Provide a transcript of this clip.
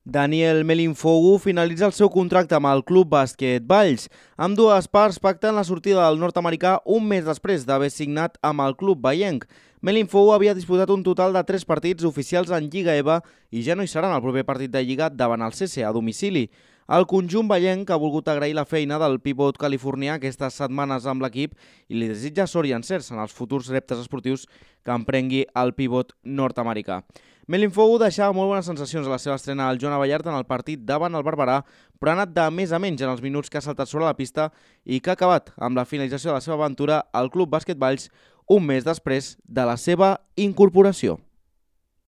Daniel Melinfogu finalitza el seu contracte amb el Club Bàsquet Valls. Ambdues parts pacten la sortida del nord-americà un mes després d'haver signat amb el club vallenc. Melinfogu havia disputat un total de 3 partits oficials en Lliga EVA i ja no hi serà en el proper partit de Lliga davant el CC a domicili. El conjunt vallenc ha volgut agrair la feina del pivot californià aquestes setmanes amb l'equip i li desitja sort i encerts en els futurs reptes esportius que emprengui el pivot nord-americà. Melinfogu deixava molt bones sensacions a la seva estrena al Joan Abellart en el partit davant el Barberà, però ha anat de més a menys en els minuts que ha saltat sobre la pista i que ha acabat amb la finalització de la seva aventura al Club Bàsquet Valls un mes després de la seva incorporació.